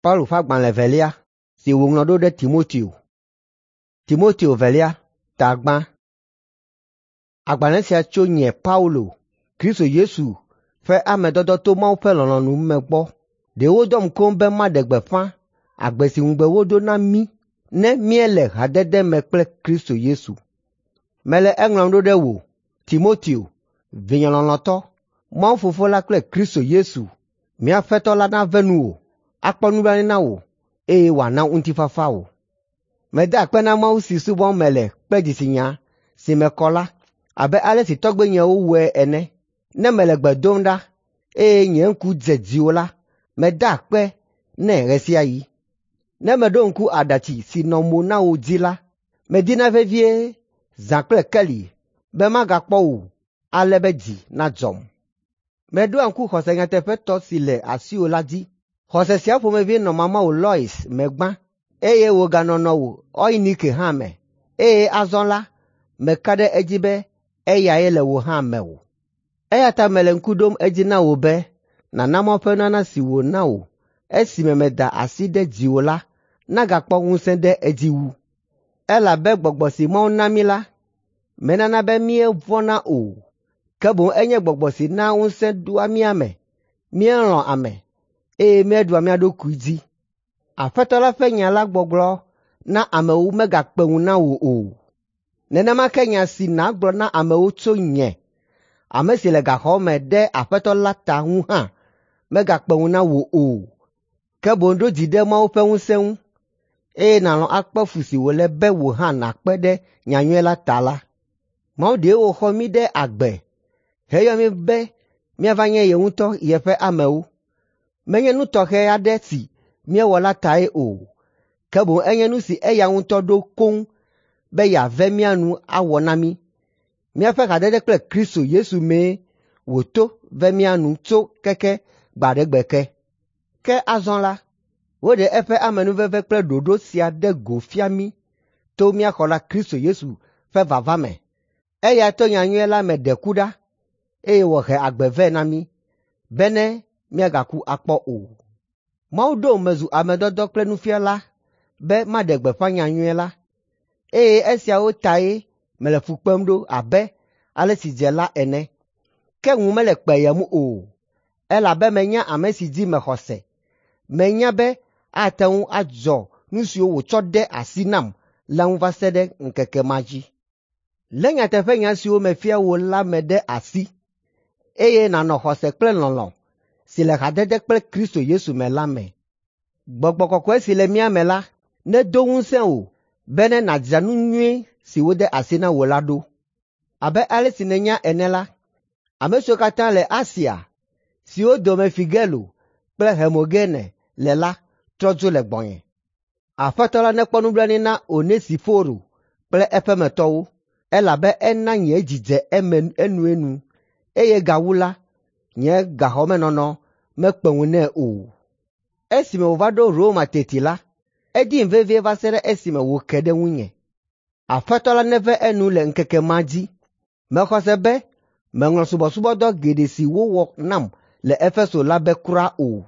Paulo ƒe agbalẽ evelia si wòŋlɔ ɖo ɖe Timoteo. Timoteo velia, ta gbã. Agbalẽ sia tso nye Paulo, Kristo Yesu ƒe ame dɔdɔ to Mawu ƒe lɔlɔ̃nu me gbɔ. Ɖe wodɔm koŋ be maɖe gbeƒã agbe si ŋugbe wodo na mí ne míele hadede me kple Kristo Yesu. Mele eŋlɔm ɖo ɖe wò, Timoteo, vinye lɔlɔ̃tɔ, Mawu Fofo la kple Kristo Yesu, mía Aƒetɔ la nave nuwò, akpɔ nublanui na wò, eye wòana ŋutifafa wò. Meda akpe na Mawu si subɔm mele kple dzitsinya si me kɔ la, abe ale si tɔgbuinyewo wɔe ene. Ne mele gbe dom ɖa, eye nye ŋku dze dziwò la, meda akpe nɛ ɣe sia ɣi. Ne meɖo ŋku aɖatsi si nɔ mo na wò dzi la, medina vevie zã kple keli be magakpɔ wò ale be dzi nadzɔm. Meɖoa ŋku xɔse nyateƒetɔ si le asiwò la dzi. Xɔse sia ƒomevi nɔ mamawò Lois me gbã, eye wòganɔ nɔwò Eunike hã me, eye azɔ la, meka ɖe edzi be eyae le wò hã mewò. Eya ta mele ŋku ɖom edzi na wò be nàna Mawu ƒe nunana si wòna wò esime meda asi ɖe dziwò la nagakpɔ ŋusẽ ɖe edzi wu. Elabe gbɔgbɔ si Mawu na mí la, menana be míevɔ̃na o, ke boŋ enye gbɔgbɔ si naa ŋusẽ ɖoa mía me, míelɔ̃a ame, eye míeɖua mía ɖokui dzi. Aƒetɔ la ƒe nya la gbɔgblɔ na amewo megakpe ŋu na wò o. Nenema ke nya si nàgblɔ na amewo tso nye, ame si le gaxɔ me ɖe Aƒetɔ la ta ŋu hã megakpe ŋu na wò o. Ke boŋ ɖo dzi ɖe Mawu ƒe ŋusẽ ŋu, eye nàlɔ̃ akpe fu si wòle be wò hã nàkpe ɖe nyanyui la ta la. Mawu ɖee wòxɔ mí ɖe agbe heyɔ mí be míava nye ye ŋutɔ yeƒe amewo. Menye nu tɔxɛ aɖe si míewɔ la tae o, ke boŋ enye nu si eya ŋutɔ ɖo koŋ be yeave mía nu awɔ na mí. Míaƒe hadede kple Kristo Yesu mee wòto ve mía nu tso keke gbe aɖe gbe ke. Ke azɔ la, woɖe eƒe amenuveve kple ɖoɖo sia ɖe go fia mí to mía xɔla Kristo Yesu ƒe vava me. Eya to nyanyui la me ɖe ku ɖa, eye wòhe agbe vɛ na mí, bene míagaku akpɔ o. Mawu ɖom mezu ame dɔdɔ kple nufiala be maɖe gbeƒã nyanyui la, eye esiawo tae mele fu kpem ɖo abe ale si dze la ene. Ke ŋu mele kpeyem o, elabe menya ame si dzi mexɔ se. Menya be ate ŋu adzɔ nu siwo wòtsɔ de asi nam la ŋu va se ɖe ŋkeke ma dzi. Lé nyateƒenya siwo mefia wò la me ɖe asi, eye nànɔ xɔse kple lɔlɔ̃ si le hadede kple Kristo Yesu me la me. Gbɔgbɔ kɔkɔe si le mía me la nedo ŋusẽ wò bene nàdzra nu nyui si wode asi na wò la ɖo. Abe ale si nènya ene la, ame siwo katã le Asia, siwo dome Figelo kple Hermogene le la trɔ dzo le gbɔnye. Aƒetɔ la nekpɔ nublanui na Onesiforo kple eƒemetɔwo, elabe ena nye dzi dze eme enuenu, eye gawu la, nye gaxɔmenɔnɔ mekpe ŋu nɛ o. Esime wòva ɖo Roma teti la, edim vevie va se ɖe esime wòke ɖe ŋunye. Aƒetɔ la neve enu le ŋkeke ma dzi. Mexɔ se be meŋlɔ subɔsubɔdɔ geɖe si wowɔ nam le Efeso la be kura o.